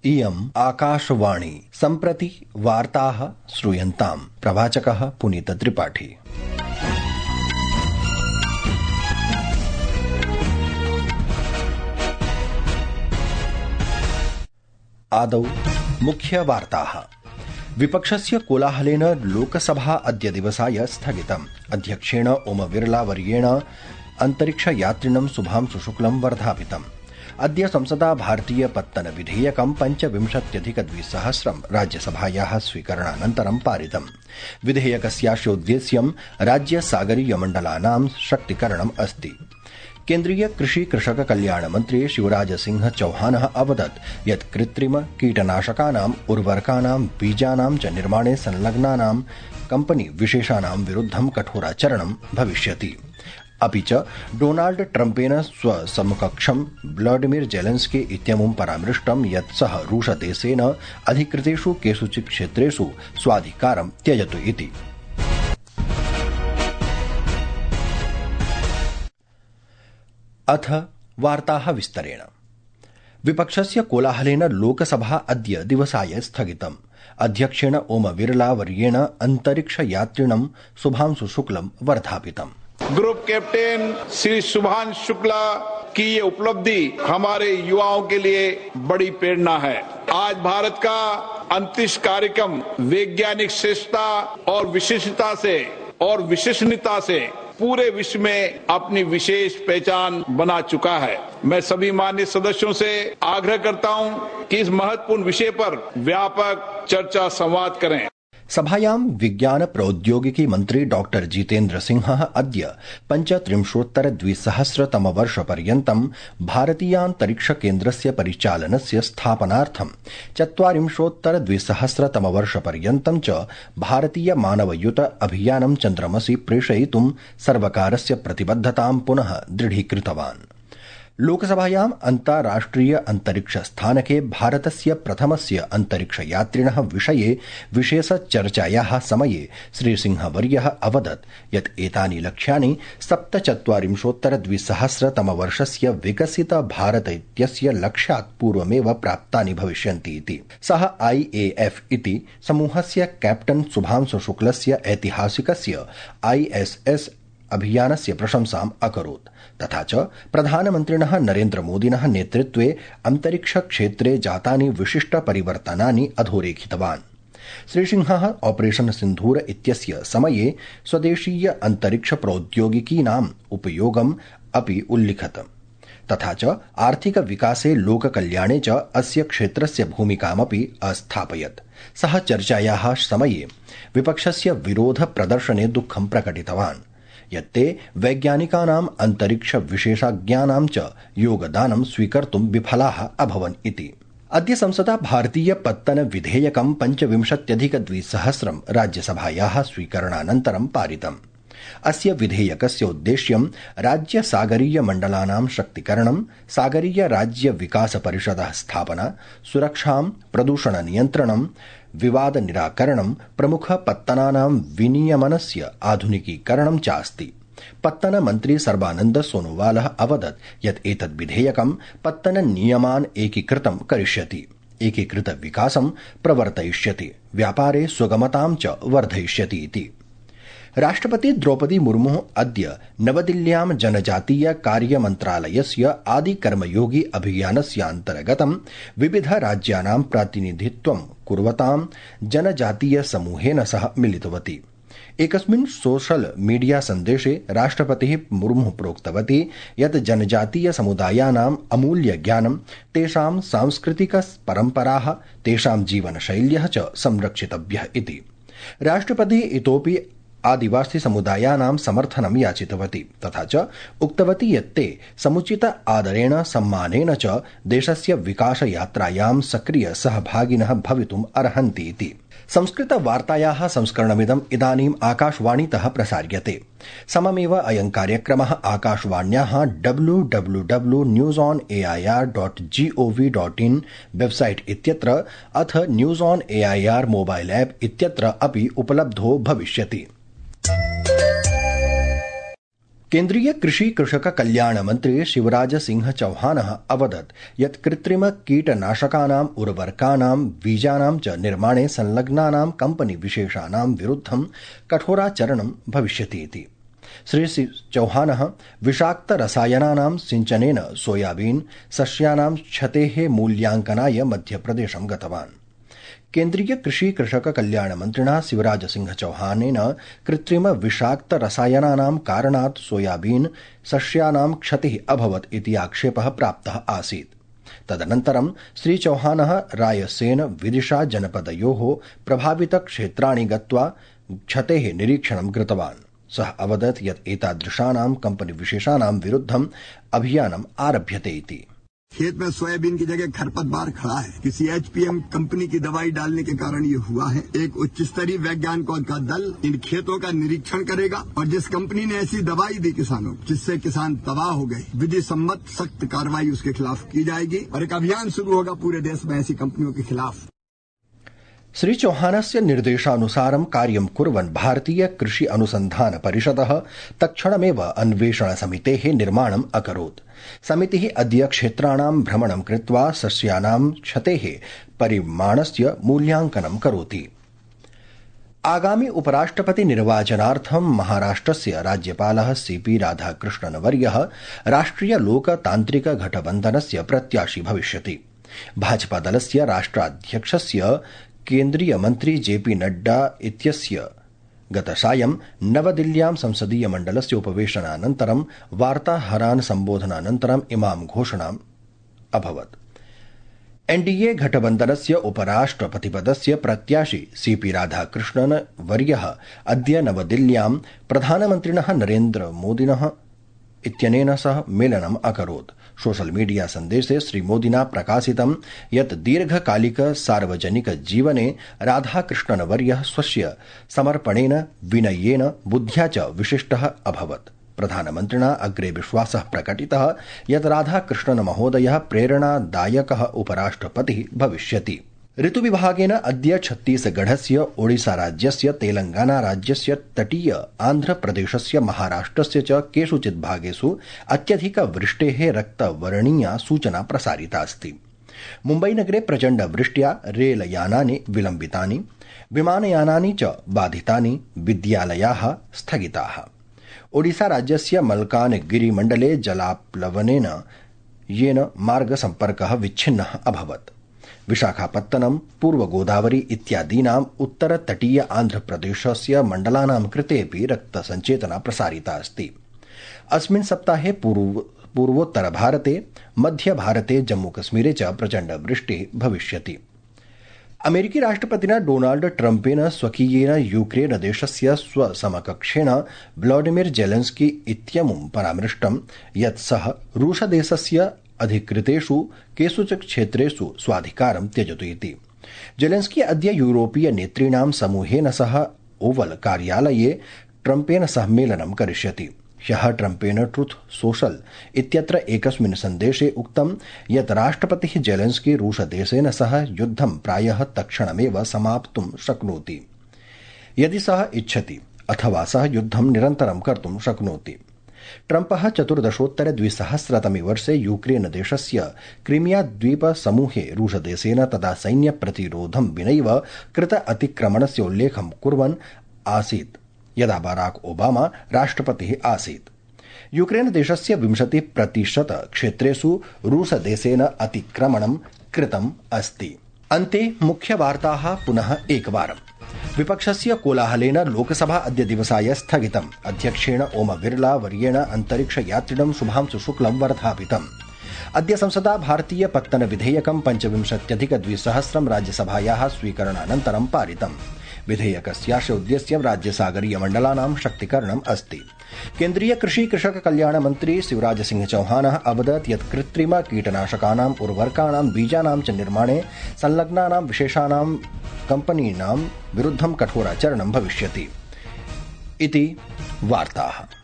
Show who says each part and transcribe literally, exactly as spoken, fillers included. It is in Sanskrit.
Speaker 1: इयम् आकाशवाणी सम्प्रति वार्ताः श्रूयन्ताम्। प्रवाचकः पुनीत त्रिपाठी। आदौ मुख्य वार्ताः। विपक्षस्य कोलाहलेन लोकसभा अद्य दिवसाय स्थगितम्। अध्यक्षेण ओम बिरला वर्येण अन्तरिक्षयात्रिणं शुभांशु शुक्लं वर्धापितम्। अद्य संसदा भारतीय पत्तन विधेयकं पञ्चविंशत्यधिक द्विसहस्रं राज्यसभायाः स्वीकरणानन्तरं पारितम्। विधेयकस्यास्योद्देश्यं राज्य सागरीय मण्डलानां शक्तीकरणम् अस्ति। केन्द्रीय कृषि कृषक कल्याण मन्त्री शिवराज सिंह चौहानः अवदत् यत् कृत्रिम कीटनाशकानाम् उर्वरकानां बीजानां च निर्माणे संलग्नानां कम्पनी विशेषाणां विरुद्धं कठोराचरणं भविष्यति। अपि च डोनाल्ड ट्रम्पेन स्वसमकक्षं व्लादिमीर जेलेन्स्की इत्यमुं परामृष्टं यत् सः रूसदेशेन अधिकृतेषु केषुचित् क्षेत्रेषु स्वाधिकारं त्यजतु इति। अथ वार्ताः विस्तरेण। विपक्षस्य कोलाहलेन लोकसभा अद्य दिवसाय स्थगितम्। अध्यक्षेण ओम बिरला वर्येण अन्तरिक्षयात्रिणं शुभांशु शुक्लं वर्धापितम्।
Speaker 2: ग्रुप कैप्टन श्री शुभांशु शुक्ला की ये उपलब्धि हमारे युवाओं के लिए बड़ी प्रेरणा है। आज भारत का अंतरिक्ष कार्यक्रम वैज्ञानिक श्रेष्ठता और विशिष्टता से और विश्वसनीयता से पूरे विश्व में अपनी विशेष पहचान बना चुका है। मैं सभी माननीय सदस्यों से आग्रह करता हूं कि इस महत्वपूर्ण विषय पर व्यापक चर्चा संवाद करें।
Speaker 1: सभायां विज्ञान प्रौद्योगिकी मन्त्री डॉक्टर जितेन्द्र सिंहः अद्य पञ्चत्रिंशोत्तर द्विसहस्रतम वर्षपर्यन्तं भारतीयान्तरिक्ष केन्द्रस्य परिचालनस्य स्थापनार्थं चत्वारिंशोत्तर द्विसहस्रतम वर्षपर्यन्तं च भारतीय मानवयुत अभियानं चन्द्रमसि प्रेषयितुं सर्वकारस्य प्रतिबद्धतां पुनः दृढीकृतवान्। लोकसभायाम् अन्ताराष्ट्रिय अन्तरिक्ष स्थानके भारतस्य प्रथमस्य अन्तरिक्षयात्रिणः विषये विशेषचर्चायाः समये श्रीसिंहवर्यः अवदत् यत् एतानि लक्ष्यानि सप्तचत्वारिंशोत्तर द्विसहस्रतमवर्षस्य विकसित भारत इत्यस्य लक्ष्यात् पूर्वमेव प्राप्तानि भविष्यन्ति इति। सः आई ए एफ इति समूहस्य कैप्टन शुभांशु शुक्लस्य ऐतिहासिकस्य आई एस एस अभियानस्य प्रशंसाम् अकरोत्। तथा च प्रधानमन्त्रिणः नरेन्द्र मोदिनः नेतृत्वे अन्तरिक्ष क्षेत्रे जातानि विशिष्ट परिवर्तनानि अधोरेखितवान्। श्रीसिंहः ऑपरेशन सिन्धूर इत्यस्य समये स्वदेशीय अन्तरिक्ष प्रौद्योगिकीनाम् उपयोगम् अपि उल्लिखत्। तथा च आर्थिक विकासे लोककल्याणे च अस्य क्षेत्रस्य भूमिकामपि अस्थापयत्। सः चर्चायाः समये विपक्षस्य विरोध प्रदर्शने दुःखं प्रकटितवान् यत्ते वैज्ञानिकानाम् अन्तरिक्ष विशेषज्ञानां च योगदानं स्वीकर्तुं विफलाः अभवन् इति। अद्य संसदा भारतीय पत्तन विधेयकं पञ्चविंशत्यधिक द्विसहस्रं राज्यसभायाः स्वीकरणानन्तरं पारितम्। अस्य विधेयकस्य उद्देश्यं राज्य सागरीय मण्डलानां शक्तीकरणं, सागरीय राज्य विकास परिषदः स्थापना, सुरक्षां, प्रदूषण नियन्त्रणं, विवाद निराकरणं, प्रमुख पत्तनानां विनियमनस्य आधुनिकीकरणं चास्ति। पत्तन मन्त्री सर्बानन्द सोनोवालः अवदत् यत् एतद् विधेयकं पत्तन नियमान् एकीकृतं करिष्यति, एकीकृत विकासं प्रवर्तयिष्यति, व्यापारे सुगमतां च वर्धयिष्यति इति। राष्ट्रपति द्रौपदी मुर्मुः अद्य नवदिल्ल्यां जनजातीय कार्य मन्त्रालयस्य आदिकर्मयोगी अभियानस्यान्तर्गतं विविध राज्यानां प्रातिनिधित्वं कुर्वतां जनजातीय समूहेन सह मिलितवती। एकस्मिन् सोशल मीडिया सन्देशे राष्ट्रपतिः मुर्मुः प्रोक्तवती यत् जनजातीय समुदायानाम् अमूल्य ज्ञानं, तेषां सांस्कृतिक परम्पराः, तेषां जीवनशैल्यः च संरक्षितव्यः इति। राष्ट्रपतिः इतोपि आदिवासी समुदायानां समर्थनं याचितवती। तथा च उक्तवती यत् ते समुचित आदरेण सम्मानेन च देशस्य विकास यात्रायां सक्रिय सहभागिनः भवितुम् अर्हन्ति इति। संस्कृत वार्तायाः संस्करणमिदम् इदानीम् आकाशवाणीतः प्रसार्यते। सममेव अयं कार्यक्रमः आकाशवाण्याः W W W news on A I R dot G O V dot in website इत्यत्र अथ news on A I R mobile app इत्यत्र अपि उपलब्धो भविष्यति। केन्द्रीय कृषि कृषक कल्याण मंत्री शिवराज सिंह चौहानः अवदत् यत् कृत्रिम कीटनाशकानाम् उर्वरकानां बीजानां च निर्माणे संलग्नानां कम्पनी विशेषाणां विरुद्धं कठोराचरणं भविष्यति इति। श्री चौहानः विषाक्त रसायनानां सिंचनेन सोयाबीन सस्यानां क्षतेः मूल्यांकनाय मध्यप्रदेशं गतवान्। केन्द्रीय कृषि कृषक कल्याण मंत्रिणा शिवराज सिंह चौहानेन कृत्रिम विषाक्त रसायनानां कारणात् सोयाबीन सस्यानां क्षतिः अभवत् इति आक्षेपः प्राप्तः आसीत्। तदनन्तरं श्री चौहानः रायसेन विदिशा जनपदयोः प्रभावित क्षेत्राणि गत्वा क्षतेः निरीक्षणं कृतवान्। सः अवदत् यत् एतादृशानां कम्पनी विशेषाणां विरुद्धं अभियानम् आरभ्यते इति।
Speaker 3: खेत में सोयाबीन की जगह खरपतवार खड़ा है, किसी एचपीएम कंपनी की दवाई डालने के कारण ये हुआ है। एक उच्च स्तरीय वैज्ञानिकों का दल इन खेतों का निरीक्षण करेगा और जिस कंपनी ने ऐसी दवाई दी किसानों जिससे किसान तबाह हो गए, विधि सम्मत सख्त कार्रवाई उसके खिलाफ की जाएगी और एक अभियान शुरू होगा पूरे देश में ऐसी कंपनियों के खिलाफ।
Speaker 1: श्री चौहानस्य निर्देशानुसारं कार्यं कुर्वन् भारतीय कृषि अनुसंधान परिषदः तत्क्षणमेव अन्वेषण समितेः निर्माणम् अकरोत्। समितिः अद्य क्षेत्राणां भ्रमणं कृत्वा सस्यानां क्षतेः परिमाणस्य मूल्यांकनं करोति। आगामि उपराष्ट्रपति निर्वाचनार्थं महाराष्ट्रस्य राज्यपालः सीपी राधाकृष्णनवर्यः राष्ट्रिय लोकतान्त्रिक गठबन्धनस्य प्रत्याशी भविष्यति। भाजपादलस्य राष्ट्राध्यक्षस्य केन्द्रीय मंत्री जेपी नड्डा इत्यस्य गतसायं नवदिल्ल्यां संसदीय मण्डलस्य उपवेशनानन्तरं वार्ताहरान् सम्बोधनानन्तरम् इमां घोषणाम् अभवत्। एनडीए गठबन्धनस्य उपराष्ट्रपतिपदस्य प्रत्याशी सीपी राधाकृष्णन वर्यः अद्य नवदिल्ल्यां प्रधानमन्त्रिणः नरेन्द्र मोदिनः इत्यनेन सह मेलनम् अकरोत्। सोशल मीडिया सन्देशे श्रीमोदिना प्रकाशितं यत् दीर्घकालिक सार्वजनिक जीवने राधाकृष्णनवर्यः स्वस्य समर्पणेन विनयेन बुद्ध्या च विशिष्टः अभवत्। प्रधानमन्त्रिणा अग्रे विश्वासः प्रकटितः यत् राधाकृष्णन महोदयः प्रेरणादायकः उपराष्ट्रपतिः भविष्यति। ऋतुविभागेन अद्य छत्तीसगढ़स्य ओडिसा राज्यस्य तेलंगाना राज्यस्य तटीय आन्ध्रप्रदेशस्य महाराष्ट्रस्य च केषुचित् भागेषु अत्यधिक वृष्टेः रक्तवर्णीया सूचना प्रसारिता अस्ति। मुम्बईनगरे प्रचण्ड वृष्ट्या रेलयानानि विलम्बितानि, विमानयानानि च बाधितानि, विद्यालयाः स्थगिताः। ओडिसा राज्यस्य मल्कानगिरी मण्डले जलाप्लवनेन येन मार्गसम्पर्कः विच्छिन्नः अभवत्। विशाखापत्तनम, पूर्व गोदावरी इत्यादीनाम् उत्तरतटीय आन्ध्रप्रदेशस्य मण्डलानां कृतेऽपि रक्तसञ्चेतना प्रसारिता अस्ति। अस्मिन् सप्ताहे पूर्व पूर्वोत्तरभारते, मध्यभारते, जम्मूकश्मीरे च प्रचण्ड वृष्टिः भविष्यति। अमेरिकी राष्ट्रपतिना डोनाल्ड ट्रम्पेन स्वकीयेन यूक्रेन देशस्य स्वसमकक्षेण व्लादिमीर जेलेन्स्की इत्यमुं परामृष्टं यत् सः रूसदेशस्य अधिकृतेषु केषुचित् क्षेत्रेषु स्वाधिकारं त्यजतु इति। जेलेन्स्की अद्य यूरोपीय नेतॄणां समूहेन सह ओवल कार्यालये ट्रम्पेन सह मेलनं करिष्यति। ह्यः ट्रम्पेन ट्रुथ सोशल इत्यत्र एकस्मिन् सन्देशे उक्तं यत् राष्ट्रपतिः जेलेन्स्की रूसदेशेन सह युद्धं प्रायः तत्क्षणमेव समाप्तुं शक्नोति यदि सः इच्छति, अथवा सः युद्धं निरन्तरं कर्तुं शक्नोति। ट्रम्पः चतुर्दशोत्तर द्विसहस्रतमे वर्षे यूक्रेन देशस्य क्रीमिया द्वीप समूहे रूसदेशेन तदा सैन्य प्रतिरोधं विनैव कृत अतिक्रमणस्य उल्लेखं कुर्वन् आसीत् यदा बाराक ओबामा राष्ट्रपतिः आसीत्। यूक्रेन देशस्य विंशति प्रतिशत क्षेत्रेषु रूसदेशेन अतिक्रमणं कृतम् अस्ति। अन्ते मुख्यवार्ताः पुनः एकवारम्। विपक्षस्य कोलाहलेन लोकसभा अद्य दिवसाय स्थगितम्। अध्यक्षेण ओम बिरला वर्येण अन्तरिक्षयात्रिणं शुभांशु शुक्लं वर्धापितम्। अद्य संसदा भारतीय पत्तन विधेयकं पञ्चविंशत्यधिक द्विसहस्रं राज्यसभायाः स्वीकरणानन्तरं पारितम्। विधेयकस्यास्य उद्देश्यं राज्यसागरीय मण्डलानां शक्तीकरणम् अस्ति। केन्द्रीय कृषि कृषक कल्याण मंत्री शिवराज सिंह चौहानः अवदत् यत् कृत्रिम कीटनाशकानाम् उर्वरकाणां बीजानां च निर्माणे संलग्नानां विशेषाणां कम्पनीनां विरुद्धं कठोराचरणं भविष्यति इति वार्ताः।